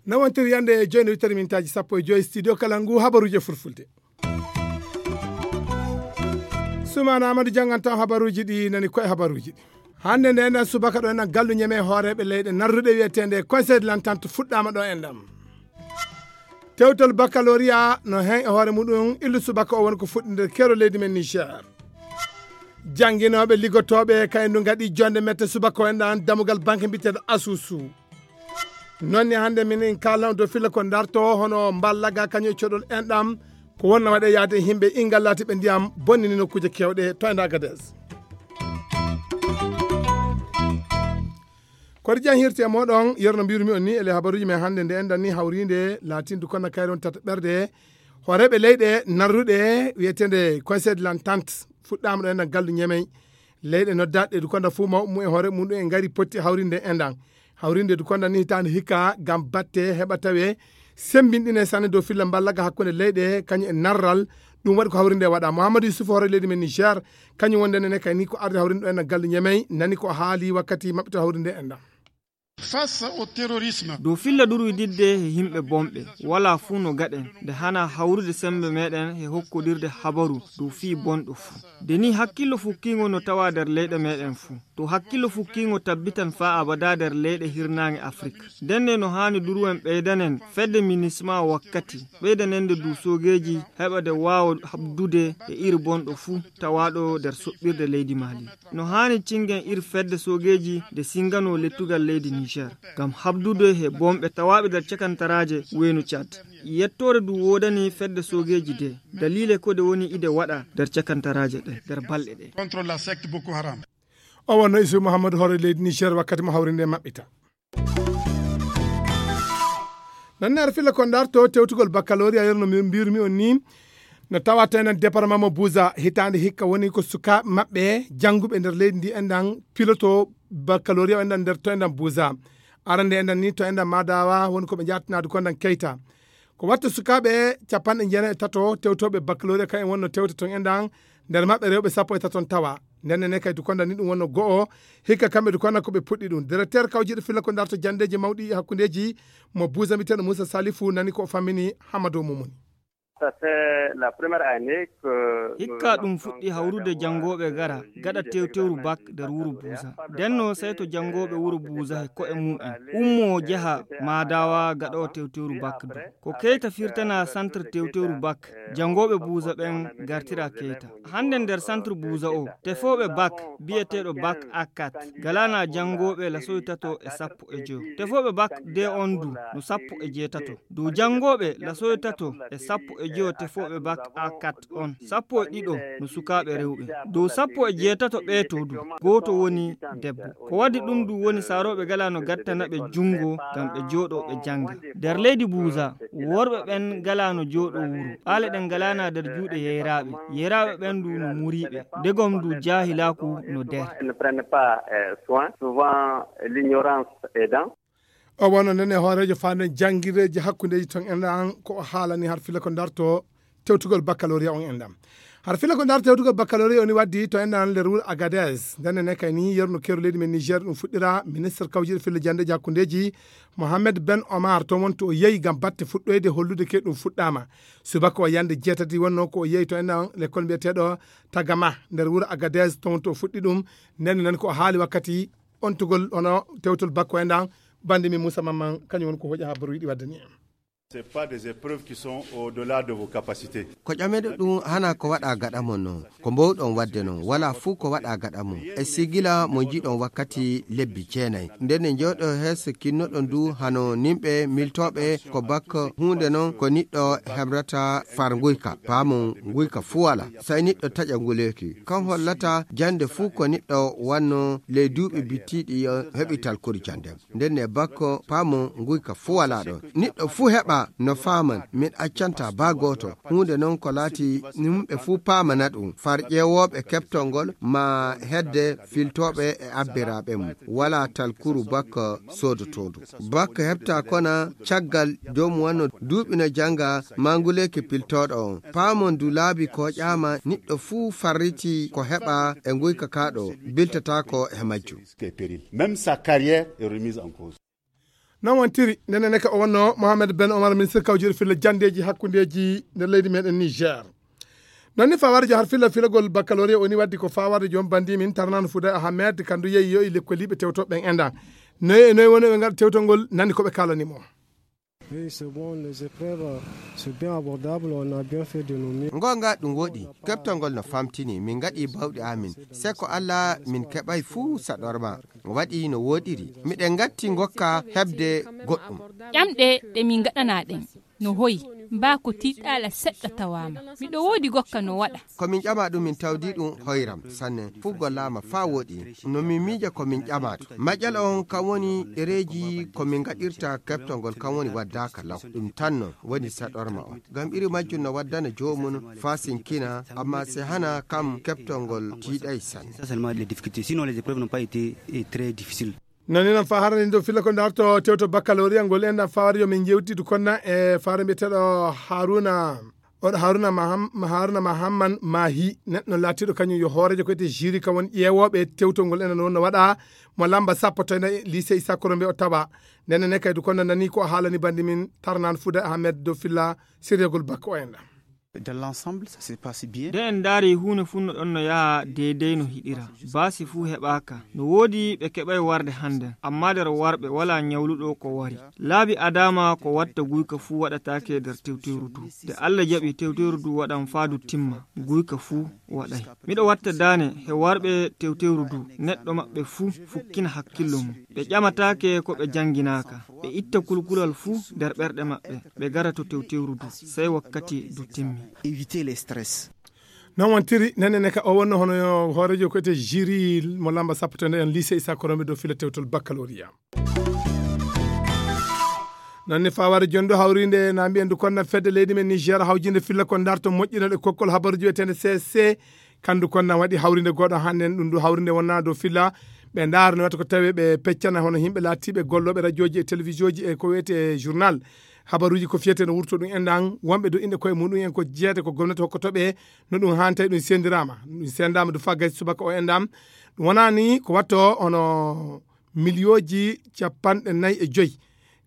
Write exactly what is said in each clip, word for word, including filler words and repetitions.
Nawontir yande e jooni wittari mintaaji sappo e joyi studio kala ngu habaruuje fulfulde. Sumaana Amadou janngantaa habaruuji ɗi nani koye habaruuji ɗi. Hannde nde enen subaka ɗo enen gallu ñeme hooreeɓe leyɗe narruɗe wiyeteende Conseil de l'Entente fuɗɗaama ɗo enɗam. Tewtol baccalauréat no heen e hoore muɗum illu subaka o woni ko fuɗɗinde keero leydi men Niger. Jannginooɓe liggotooɓe kayen ndu ngaɗi jonde mette subaka o enɗam dammugal banque mbiyeteeɗo Asusu. Noon ni hannde minen kaalnoo dow filla ko darto hono mballaga kañum e coɗol enɗam ko wonno waɗe yaade e yimɓe ingal laati ɓe ndiyam bonnini nokkuuje kewɗe to enda Agadez. Koɗi jan hirti e moɗon yerno mbirumi on ni ele habaruji men hannde nde enɗan ni hawrinde laatinde kono kayre on tata ɓerde horeɓe leyɗe narruɗe wiyetende Conseil de l'Entente fuɗɗama ɗo enɗan gallu ñemey leyɗe noddaɗe du konda fuu mawɓe mum e hoore mum ɗum e ngari potti hawrinde enɗan hawrinde du konda ni hitaande hikka ngam batte heɓa tawe sembinɗine sanne dow filla mballaga hakkunde leyɗe kañum e narral. Ɗum waɗi ko hawrinde waɗa Mouhamadou Youssouf hoore leydi men Niger kañum wonde nene kay ni ko arde hawrinde ɗo enɗan gallu ñemey nani ko haali wakkati maɓɓita hawrinde enɗan. Face au terrorisme. Dow filla ɗurwididde e yimɓe bonɓe wala fuu no gaɗen nde hana hawrude sembe meɗen e hokkodirde habaru dow fii bonɗo fuu. Nde ni hakkillo fukkiingo no tawa nder leyɗe meɗen fuu. To hakkillo fukkiingo tabbitan faa abada nder leyɗe hirnaange Afrik. Ndenne no haani duruwen ɓeydanen fedde minisma wakkati ɓeydanende du soogeeji heɓa de waawa habdude e iri bonɗo fuu tawaaɗo nder soɓɓirde leydi Mali. No haani cingen ir fedde soogeeji nde singanoo lettugal leydi Niger ngam habdude he bonɓe tawaaɓe nder cakantaraaje weynu Tchad. Yettoore du woodani fedde soogeeji de daliile ko de woni ide waɗa nder cakantaraaje ɗe nder balɗe ɗe. Contre la secte Boko Haram. O wonno Isu Mouhamadou hoore leydi Niger wakkati mo hawrinde maɓɓita. Nanne ar filla ko ndarto tewtugol baccalauréat yerno mi mbirmi on ni no tawata enen département mo Buza hitaande hikka woni ko sukaaɓe maɓɓe jannguɓe nder leydi ndi enɗan piloto baccalauréat enɗan nder to enɗan Buza. Arande enɗan ni to enɗan Madawa woni ko ɓe jaatinaade ko enɗan Keita. Ko watta sukaaɓe capanɗe jeenayi e tato tewtooɓe baccalauréat kayen wonno tewta ton enɗan nder maɓɓe rewɓe sappo e taton tawa. Nden ne kay dukonda ni ɗum wonno go'o hikka kamɓe dukonda ko ɓe puɗɗi ɗum. Directeur kawjiɗo filla ko ndarto jandeji mawɗi e hakkundeji mo Buza mbiteɗo Moussa Salifou nani ko o fammini Hamadou Moumouni. Ça fait la première année que hikka ɗum fuɗɗi hawrude janngooɓe gara gaɗa tewtewru bak nder wuro Buusa. Ndenno sey to janngooɓe wuro Buusa he ko'e mum'en ummoo jaha Maadawa gaɗoowo tewtewru bak du. Ko Keyta firtana centre tewtewru bak janngooɓe Buusa ɓen gartira Keyta. Hannde nder centre Buusa o tefooɓe bak biyeteeɗo bak A quatre galana janngooɓe lasoy tato e sappo e joyo. Tefooɓe bak D on du no sappo e jeetato. Dow janngooɓe lasoy tato e sappo e joyo tefooɓe bak A quatre on sappo e ɗiɗo no sukaaɓe rewɓe. Dow sappo e jeetato ɓee to du gooto woni debbo. Ko waddi ɗum du woni saarooɓe galano gattana ɓe junngo ngam ɓe jooɗo ɓe jannga. Nder leydi Buusa worɓe ɓen galano jooɗo wuro. Ɓaale ɗen galana nder juuɗe yeyraaɓe. Yeyraaɓe ɓen du no muriiɓe. Ndegom du jaahilaaku no nder. Ils ne prennent pas soin. Souvent l'ignorance est dans. O wonno nden e hooreejo faanden janngireeji hakkundeeji ton enɗan ko o haalani har filla ko ndarto tewtugol baccalauréat on enɗan. Har filla ko ndarto tewtugol baccalauréat oni waddi to enɗan nder wuro Agadez. Nden ne kay ni yerno keeru leydi men Niger ɗum fuɗɗira ministre kawjiɗo filla janndeeji hakkundeeji Mohamed Ben Omar to wonto o yehi ngam batte fuɗɗoyde hollude ke ɗum fuɗɗaama. Subaka o yande jeetati wonno ko o yehi to enɗan lekkol mbiyeteeɗo Tagama nder wuro Agadez to wonto o fuɗɗi ɗum. Nden nan ko o haali wakkati ontugol hono tewtol bakko enɗan bande mi Moussa Mamman kañum woni ko hoƴa habaru yiɗi waddani en. C'est pas des épreuves qui sont au-delà de vos capacités. Ko ƴameɗo ɗum hana ko waɗa gaɗa mon non ko mbowɗon wadde non wala fuu ko waɗa gaɗa mum. E sigila mo jiɗon wakkati lebbi jeenayi nden ne jooɗo hees kinnoɗon du hano nimɓe miltooɓe ko bak huunde non ko niɗɗo hebrata farnguyka paamon nguyka fuu wala. Say niɗɗo taƴa nguleeki kan hollata jannde fuu ko niɗɗo wanno ley duuɓi bittiiɗi heɓital kori jannde. Nden ne bakko paamo nguyka fuu walaa ɗon. Niɗɗo fuu heɓa no faaman min accanta baa gooto. Huunde non Ko laati yimɓe fuu paamana ɗum, far ƴeewooɓe keɓtol ngol maa hedde filtooɓe e abbiraaɓe mum. Walaa talkuru bakka soodotoodu. Bakka heɓta kona caggal joomum wano duuɓi no jannga maa nguleeki piltooɗo on. Paamon du laabi ko ƴaama niɗɗo fuu farriti ko heɓa e nguyka kaaɗo biltataako e majjum. Même sa carrière est remise en cause. Non wontiri, nene neka o wonno Mohamed Ben Omar, ministre kawjiri filla jandeji hakkundeji nder leydi meɗen Niger. Non ni fawarjo har filla filagol baccalauréat woni waddi ko fawarde joom bandi min Tarnan Fouda Ahmed, kandu yeyi yo e lekkoliɓe tewtoɓe ɓen endan. Noy e noy woni ɓe ngaɗa tewtol ngol, nani ko ɓe kalani mo. Oui, c'est bon, les épreuves, c'est bien abordable, on a bien fait de nos mieux. Ngonga ɗum woɗi, keɓtol ngol no famtini, min ngaɗi bawɗi amin. Seko Allah min keɓay fuu saɗorma. Waɗi no woɗiri. Miɗen ngatti ngokka heɓde goɗɗum. Ƴamɗe ɗe min ngaɗana ɗen no hoyi, mbaa ko tiiɗaala seɗɗa tawaama. Miɗo woodi gokka no waɗa. Ko min ƴama ɗum min tawdi ɗum hoyram sanne. Fuu gollaama faa woɗi. No min miija ko min ƴama to. Maƴƴal on kam woni ɗereeji ko min ngaɗirta keɓtol ngol kam woni waddaaka law. Ɗum tan non woni saɗorma on. Ngam iri majjum no waddana joomum faa sinkina, amma si hana kam keɓtol ngol tiiɗay sanne. Ça seulement les difficultés. Sinon, les épreuves n'ont pas été, eh, très difficiles. Nani nan fa harani do filla ko darto tewto baccalauréat ngol en dan fawari yo min jewti du konna e fawari mbiyeteɗo Haruna. Oɗo Haruna Maham-, Haruna Mahamman Mahi, neɗɗo laatiɗo kañum yo hoorejo ko ete jiri ka won ƴeewooɓe tewtol ngol enen wonno waɗa mo lamba sappo to ene lycée Issa Korombe o tawa. Nene ne kay du konna nani ko haalani bandi min Tarnan Fouda Ahmed do filla siriyagol bakko o en ɗan. Dans l'ensemble, ça se passe bien. Nde en ndaari huunde fuu no ɗon no yaha deydey no hiɗira. Baasi fuu heɓaaka. No woodi ɓe keɓay warde hannde, ammaa nder warɓe walaa nyawluɗo ko wari. Laabi adaama ko watta guyka fuu waɗataake nder tewteeru du. Nde Allah jaɓi tewteeru du waɗan faa du timma, guyka fuu waɗay. Miɗo watta daane he warɓe tewteeru du, neɗɗo maɓɓe fuu fukkina hakkillo mum. Ɓe ƴamataake ko ɓe jannginaaka. Ɓe itta kulkulal fuu nder ɓerɗe maɓɓe. Ɓe gara to tewtewru du, sey wakkati du timmi. Éviter les stress. Non wontiri, nene ne ka o wonno hono hoorejo ko ete jiri mo lamba sappo to nden lycée Issa Korombe do fila tewtol baccalauréat. Nanni faware jondo hawrinde na mbiyen du konna fedde leydi men Niger hawjinde filla ko darto moƴƴinal e kokkol habaruji wiyetende C S C. Kandu konna waɗi hawrinde goɗo hannde ɗum du hawrinde wonna do filla. Ɓe ndaara no wata ko tawi ɓe peccana hono yimɓe laatiiɓe gollooɓe radiooji e télévision ji e ko wiyetee journal. Habaruuji ko fiyetee no wurto ɗum enɗan, wonɓe do inɗe koye muɗum en ko jeeyata ko gomnati hokkoto ɓe, no ɗum haantay ɗum sendirama. Ɗum sendama du faa gasi subaka o enɗan. Ɗum wonani ko watto hono miliyooji capanɗe nayi e joyi.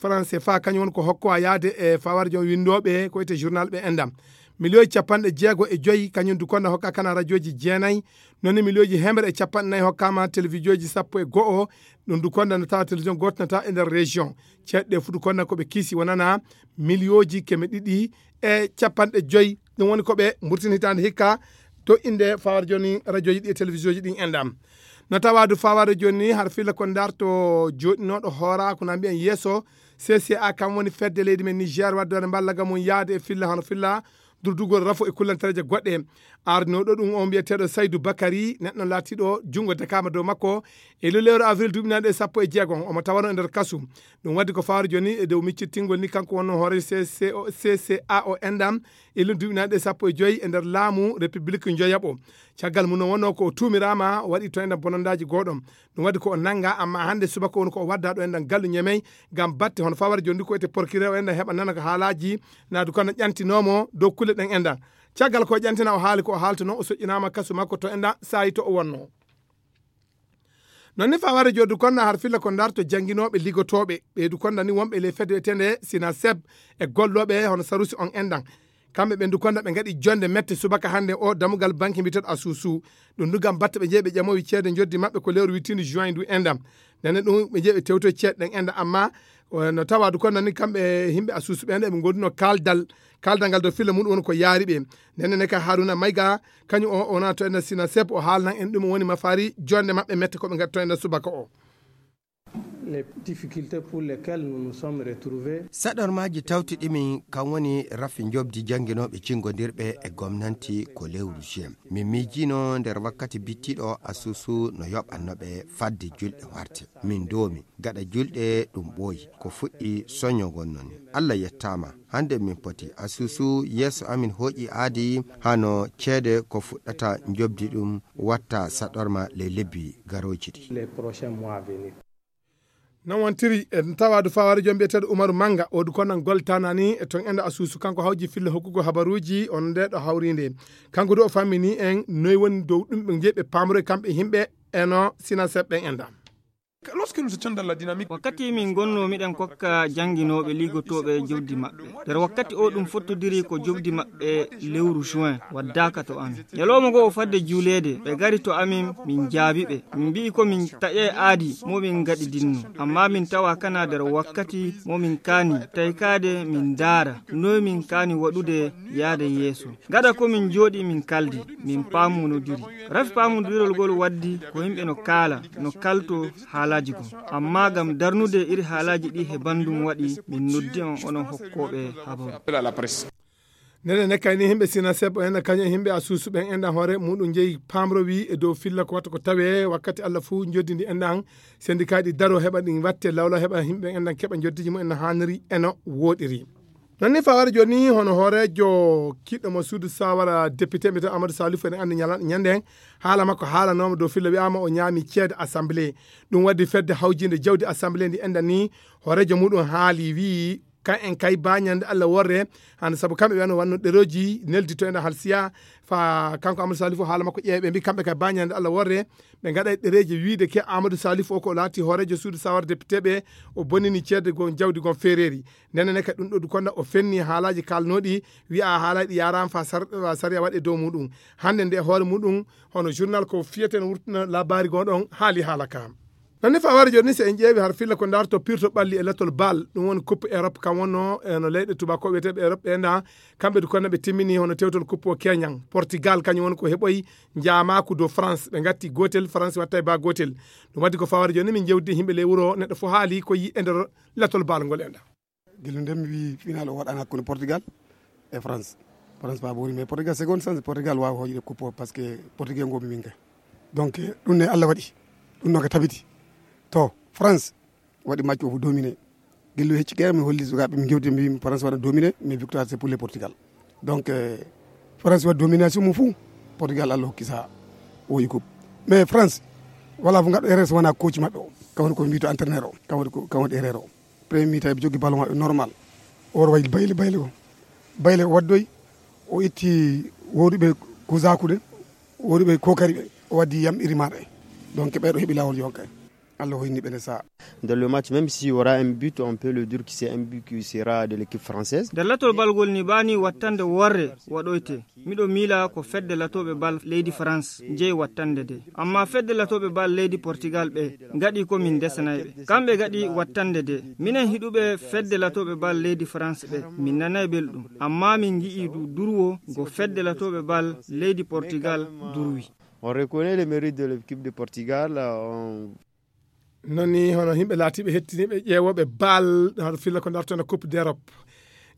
Français faa kañum woni ko hokko a yaade e fawar joom winndooɓe ko wiyetee journal ɓe enɗan. Miliyooji capanɗe jeego e joyi kañum du konna hokka kana radiooji jeenayi. Noon ni miliyooji hemre e capanɗe nayi hokkaama télévision ji sappo e go'o. Ɗum du konna no tawa télévision gooto no tawa e nder région. Ceeɗɗe fuu du konna ko ɓe kiisi wonana miliyooji keme ɗiɗi e capanɗe joyi. Ɗum woni ko ɓe mburtini hitaande hikka to innde fawar jooni radiooji ɗi e télévision ji ɗin enɗan. No tawa du fawar jooni har filla ko ndarto jooɗinooɗo hoora ko na mbiyen yeeso. C C A kam woni fedde leydi men Niger waddoore mballa ga mum yaade e filla hono filla durdugol rafo e kullantareeje goɗɗe. Ardinooɗo ɗum o mbiyeteeɗo Saydou Bakary, neɗɗo laatiiɗo junngo dakaama dow makko e lewru avril duuɓi nayi ɗe sappo e jeego, omo tawano e nder kasu. Ɗum waddi ko fawar jooni e dow miccittingol ni kanko wonno hoore C C O, C C A o enɗan e lewru duuɓi nayi ɗe sappo e joyi e nder laamu République njoyaɓo. Caggal mum no wonno ko o tuumiraama, o waɗi to enɗan bonondaaji gooɗo. Ɗum waddi ko o nannga, amma hannde subaka woni ko o wadda ɗo enɗan gallu Ñemey ngam batte hono fawar jooni ko wiyetee procureur o enɗan heɓa nana ko haalaaji na du konna ƴantinoomo dow kulle ɗen enɗan. Caggal ko o ƴantina o haali ko o haaltuno, o soƴƴinaama kasu makko to enɗan saayi to o wonno. Noon ni fawar jooni du konna har filla ko ndarto jannginooɓe ligotooɓe, ɓe du konna ni wonɓe ley fedde wiyetende Sinaseb e gollooɓe hono Sarusi on enɗan. Kamɓe ɓen du konna ɓe ngaɗi jonde mette subaka hannde o dammugal banque mbiyeteeɗo Asusu. Ɗum du ngam batte ɓe jeyi ɓe ƴamowi ceede njoddi maɓɓe ko lewru wittiinde juin du enɗan. Nene ɗum ɓe jeyi ɓe tewtoyi ceede ɗen enɗan, amma, eh, no tawa du konna ni kamɓe yimɓe Asusu ɓen ɓe ngondunoo kaaldal, kaaldal ngal dow filla mum woni ko yaari ɓe. Nene ne ka Haruna Mayga, kañum o wona to enɗan Sinaseb, o haalnan en ɗum woni mafaari jonde maɓɓe mette ko ɓe ngaɗi to enɗan subaka o. Les difficultés pour lesquelles nous nous sommes retrouvés. Saɗormaaji tawti ɗimin kan woni rafi njoɓdi jannginooɓe cingondirɓe e gomnanti ko lewru juin. Min miijino nder wakkati bittiɗo asusu no yoɓanno ɓe fadde julɗe warte. Min doomi gaɗa julɗe ɗum ɓooyi. Ko fuɗɗi soño ngon non. Allah yettaama. Hannde min poti asusu yeeso amin hooƴi aadi hano ceede ko fuɗɗata njoɓdi ɗum watta saɗorma ley lebbi garooji ɗi. Les prochains mois à venir. Non wontiri en tawaadu fawaare joom biyeteeɗo Umaru Manga, o du konan goltanani e ton enda asusu kanko hawji filla hokkugo habaruuji on nde ɗo hawrinde. Kanko du o fammini en noy woni dow ɗum ɓe njeyi ɓe paamroy kamɓe yimɓe eno sina seɓɓen enda. Lorsque nous étions dans la dynamique. Wakkati min ngonno miɗen kokka jannginooɓe liigotooɓe jawdi maɓɓe. Nder wakkati o ɗum fottodiri ko jawdi maɓɓe lewru juin waddaaka to amin. Ñalawma ngo o fadde juuleede, ɓe ngari to amin, min njaabi ɓe. Min mbi'i ko min taƴay aadi mo min ngaɗidinno. Amma min tawa kana nder wakkati mo min kaani taykaade min ndaara noy min kaani waɗude yaade yeeso. Gada ko min njooɗi min kaldi, min paamonodiri. Rafi paamondirol ngol waddi ko yimɓe no kaala, no kalto haalaaji goo. Amma ngam darnude iri haalaaji ɗi he banndum waɗi, min noddi on onon hokkooɓe habaru. Appel à la presse. Nene ne kayni himɓe sina sebbo en kañum e himɓe a suusu ɓen enɗan hoore muɗum jeyi pamrowi e dow filla ko watta ko tawe wakkati Allah fuu joddi ndi enɗan sendikaaji daro heɓa ɗin watte lawla heɓa himɓe enɗan keɓa joddiji mum en no haaniri e no wooɗiri. Non ni fawara jooni hono hooreejo kiɗɗo mo suudu sawara député mbiyetee Amadou Salif ene anndi ñala ñande haala makko haalanooma dow filla wiyaama o ñaami ceede assemblée. Ɗum waddi fedde hawjinde jawdi assemblée ndi enɗan ni hooreejo muɗum haali wii kan en kay bañande Allah worre hande sabu kamɓe ɓen wanno ɗeroji neldito enɗan halsiya fa kanko Amadou Salif o haala makko ƴeewe ɓe mbi kamɓe kay bañande Allah worre ɓe gaɗa e ɗereji wiide ke Amadou Salif o ko laati hooreejo suudu sawara député ɓe o bonnini ceede gon jawdi gon feereeri. Ndenen ne kadi ɗum ɗo du konda o fenni haalaaji kaalnooɗi wi'a haalaaji ɗi yaaraama fa sar- fa sariya waɗe dow muɗum. Hannde nde hoore muɗum hono journal ko fiyete no wurtina labaari gon ɗon haali haala ka. Non ni fa wari jooni si en ƴeewi har filla ko darto pirto ɓalli e latol bal ɗum woni coupe Europe kam wonno e no leyɗe tubako wiyeteeɓe Europe ɓe na kamɓe du konda ɓe timmini hono tewtol coupe o keñan Portugal kañum woni ko heɓoyi njaamaaku dow France ɓe gatti gootel France watta e ba gootel. Ɗum waddi ko fawara jooni min jewdi himɓe ley wuro neɗɗo fof haali ko yi e nder latol bal ngol enɗan. Gila nden mi wi final o waɗan hakkunde Portugal e France. France pa bori mais Portugal seconde chance Portugal wawa hoƴude coupe o parce que Portugal ngomi min kay. Donc ɗum ne Allah waɗi ɗum noon ko tabiti to France waɗi match o fof dominé. Gillu hecci kere mi holli sukaɓe mi jewti mbi France waɗa dominé mais victoire c'est pour le Portugal. Donc euh, France waɗi domination mum fou Portugal Allah hokki sa woyi coupe. Mais France wala fof gaɗɗo erreur so wona coach maɓɓe o kawoni ko mbito entraîneur o kawoni ko kawoni erreur o. Premier mi-temps eɓe joggi ballon maɓɓe normal. Oro wayi bayle bayle o bayle o waddoyi o itti woɗuɓe kusakude woɗuɓe kokari ɓe o waddi yam irimaɗo e donc ɓeɗo heɓi lawol yonka en. Allah hoyni ɓe nde saha. Dans le match même si y aura un but on peut le dire que c'est un but qui sera de l'équipe française. Nder latol balgol ni bani wattande worre waɗoyte. Miɗo miila ko fedde latooɓe bal leydi France jeyi wattande de. Amma fedde latooɓe bal leydi Portugal ɓe ngaɗi ko min ndesanay ɓe. Kamɓe ngaɗi wattande de. Minen hiɗuɓe fedde latooɓe bal leydi France ɓe min nanay belɗum. Amma min ngi'i du durwo ngo fedde latooɓe bal leydi Portugal durwi. On reconnaît le mérite de l'équipe de Portugal. On non ni hono yimɓe laatiiɓe hettiniiɓe ƴeewooɓe bal hoto filla ko dartona coupe d'Europe.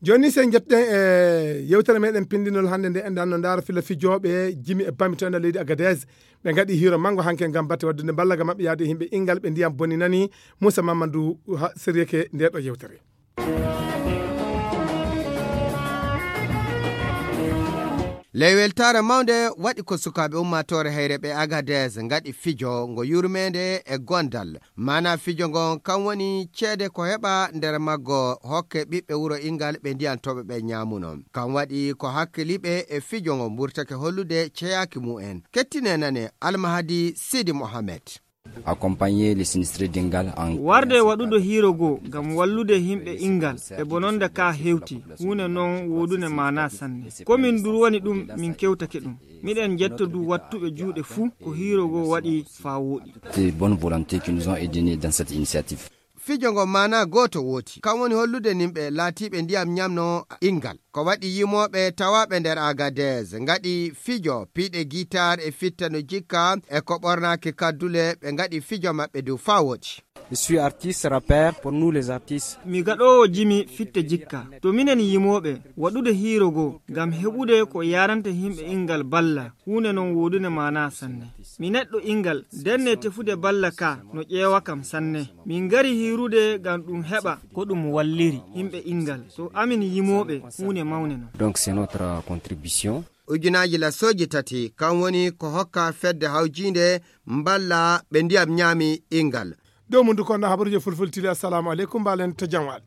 Jooni ni sen jettuɗen e yewtere meɗen pindinol hannde nde enɗan no ndaara filla fijooɓe jimi e bami to enɗan leydi Agadez. Ɓe ngaɗi hiiro manngo hanke ngam batte waɗdude mballa ga maɓɓe yaade e yimɓe inngal ɓe ndiyam boni nani. Moussa Mamadou ha seriyeke nde ɗo yewtere. Ley weltaare mawnde waɗi ko sukaaɓe ummaatoore hayre ɓe Agadez ngaɗi fijo ngo yurmeende e gondal. Maana fijo ngon kan woni ceede ko heɓa nder maggo hokke ɓiɓɓe wuro Ingal ɓe ndiyantooɓe ɓe ñaamuno. Kan waɗi ko hakkiliiɓe e fijo ngo mburtake hollude ceyaaki mumen. Kettine nane Almahadi Sidi Mohamed. Accompagner les sinistrés d'Ingal en warde waɗude hiiro goo ngam wallude yimɓe Ingal e bononda ka hewti huunde non woodunde maana sanne. Ko min durwani ɗum min kewtake ɗum. Miɗen jetta du wattuɓe juuɗe fuu ko hiiro goo waɗi faa wooɗi. De bonne volonté qui nous ont aidés dans cette initiative. Fijo ngo maana gooto wooti kan woni hollude nimɓe laatiiɓe ndiyam ñamno Ingal. Ko waɗi yimooɓe tawaaɓe nder Agadez ngaɗi fijo piiɗe gitaar e fitta no jikka e ko ɓornaaki kaddule, ɓe ngaɗi fijo maɓɓe dow faa woɗi. Mi suis artiste rappeur pour nous les artistes. Mi gaɗoowo jimi fitte jikka. To minen yimooɓe waɗude hiiro goo ngam heɓude ko yaaranta yimɓe inngal balla, huunde non woodude maanaa sanne. Mi neɗɗo inngal denne tefude balla ka no ƴeewa kam sanne. Min ngari hiirude ngam ɗum heɓa ko ɗum walliri yimɓe inngal. To amin yimooɓe huunde mawne non. Donc c'est notre contribution. Ujunaaji lasooji tati kan woni ko hokka fedde hawjiinde mballa ɓe ndiyam ñaami inngal. Dow mundu kon habaruuje fulfulde tili. Assalamu aleykum, mbaalen to jam waali.